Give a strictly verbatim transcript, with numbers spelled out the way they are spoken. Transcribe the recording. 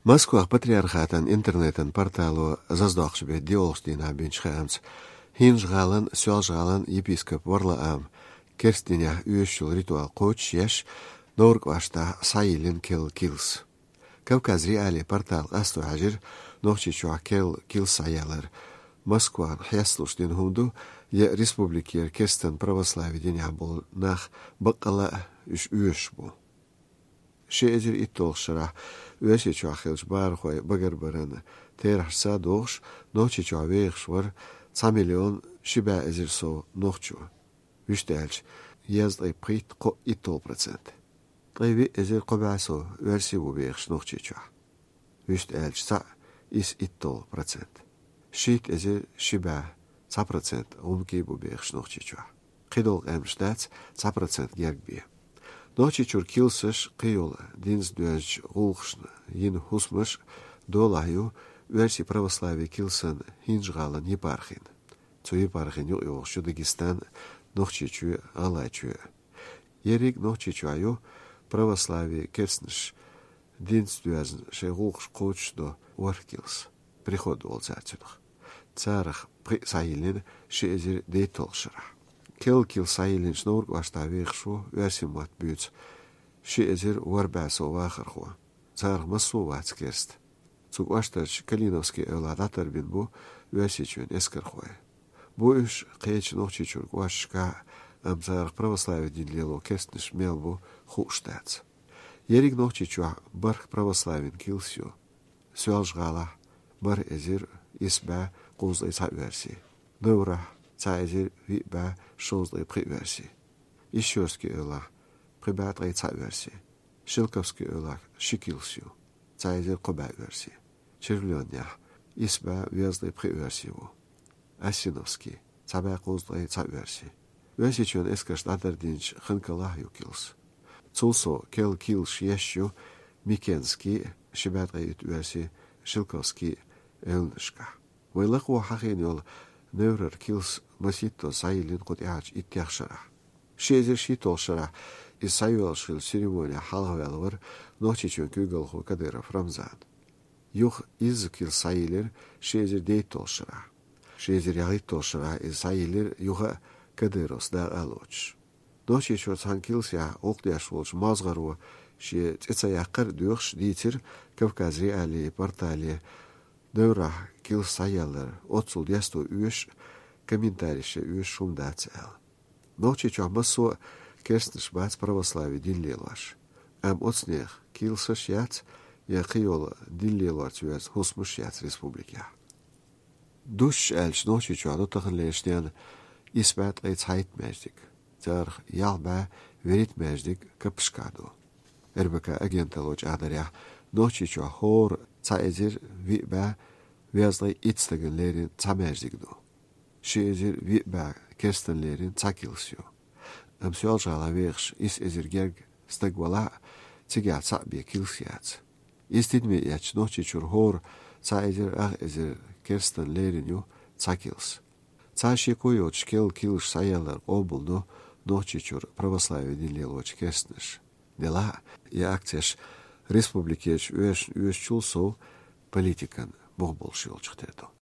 Москвах патриархатан интернетан портало заздохчу бе диолгъуш дийнахь бинчу хаамца, ХӀинжа-гӀалан, Соьлжа-гӀалан епископ Варлаам керста динехь оьшучул ритуал кхочушъеш, Невран кӀоштахь схьайиллина керла килс. Кавказ.Реалии портал къасто хьаьжира Нохчийчохь керла килс схьаялар Москван хьесталуш дина хӀума ду, я республикера керстан православи динехь болу нах баккъала а уьш оьшуш бу. Ши эзар итталгӀачу шарахь Оьрсийчохь хиллачу бахархойн багарбаран терахьашца догӀуш, Нохчийчохь вехаш вара цхьа миллион ши бӀе эзар сов нохчо, вуьшта аьлча, езткъе пхийтта кхоъ итталгӀа процент. Ткъе виъ эзар кхо бӀе сов оьрси ву вехаш Нохчийчохь, вуьшта аьлча, цхьаъ исс итталгӀа процент. Шийтта эзар ши бӀе цхьа процент гӀумкий бу бехаш Нохчийчохь. КхидолгӀа къаьмнаш дац цхьа процент герга бен. Нохчийчуьра килсаш, кхийолу динца доьзначу гӀуллакхашна йина хӀусамаш долахь ю Оьрсийн православи килсан ХӀинжа-гӀалан епархина. Цу епархина юкъайогӀуш ю Дагестан, Нохчийчоь, ГӀалгӀайчоь. Ерриг Нохчийчохь ю православи керстанаш динца доьзна шайн гӀуллакхаш кхочушдо ворхӀ килс, приход олу цара цунах. Царах пхиъ схьайиллина ши эзар дейтталгӀачу шарахь. Керла килс схьайиллинчу Невран кӀоштахь вехаш ву оьрсийн мотт буьйцу ши эзар ворхӀ бӀе сов вахархо. Царах массо а вац керста. Цу кӀоштарчу Калиновский эвлахь дӀатарбина бу Оьрсийчоьнан эскархой. Бу уьш кхечу Нохчийчуьра кӀошташкахь, амма царах православи дин лело керстанаш мел бу хууш дац. Ерриг Нохчийчохь бархӀ православин килс ю. Соьлжа-ГӀалахь бархӀ эзар исс бӀе кхузткъе цхьа оьрси, Неврахь цхьа эзар виъ бӀе шовзткъе пхи оьрси, Исчёрский эвлахь пхи бӀе ткъе цхьа оьрси, Шелковский эвлахь ши килс ю, цхьа эзар кхо бӀе оьрси, Червленехь исс бӀе везткъе пхи оьрси ву, Осиновский цхьа бӀе кхузткъе цхьа оьрси. Оьрсийчоьнан эскарша дӀатардинчу Ханкалахь ю килс. Цул сов керла килсаш еш ю Микенский, ши бӀе ткъе итт оьрси, Шелковский эвланашкахь. Вай лакхахь хьахийна йолу Неврара килс масийттаза схьайиллина кху тӀаьхьарчу иттех шарахь. Ши эзар шийтталгӀачу шарахь иза схьайоьллуш хиллачу церемонехь хьалхаваьлла вара Нохчийчоьнан куьйгалхо Кадыров Рамзан. Юха изза килс схьайиллира ши эзар дейтталгӀачу шарахь. Ши эзар ялхитталгӀачу шарахь иза схьайиллира юха а Кадыровс дакъа а лоцуш. Нохчийчуьра цхьана килсехь гӀуллакх деш волчу мозгӀаро шен цӀе ца яккхар а доьхуш дийцира Кавказ.Реалии портале Неврахь килс схьаялар оццул десто оьшуш а, комментареш ян оьшуш хӀума дац аьлла. Нохчийчохь массо а керстанаш бац православи дин лелош, амма оцу нехан килсаш яц я кхийолу дин лелорца йоьзна хӀусамаш яц республикехь. Дустуш аьлча, Нохчийчохь ду таханлерчу дийнахь исс бӀе ткъе цхьайтта маьждиг, царах ялх бӀе вуьрхӀитта маьждиг каппашкахь ду. РБК агенталло чӀагӀдарехь, Нохчийчохь хӀора цхьа эзар виъ бӀе везткъе итт стагана лерина цхьа маьждиг ду. Ши эзар виъ бӀе керстанна лерина цхьа килс ю. Амма Соьлжа-ГӀалахь вехаш исс эзар герга стаг валахь а, цигахь цхьаъ бен килс яц. Иза тидаме эцча, Нохчийчуьра хӀора цхьа эзар ах эзар керстанна лерина ю цхьа килс. Цхьа шеко йоцуш керла килсаш схьаялар къобалдо Нохчийчуьра православи дин лелочу керстанаша. Делахь а и акцеш республикерчу оьшашна оьшучул сов политикан бух болуш йолчух тера ду.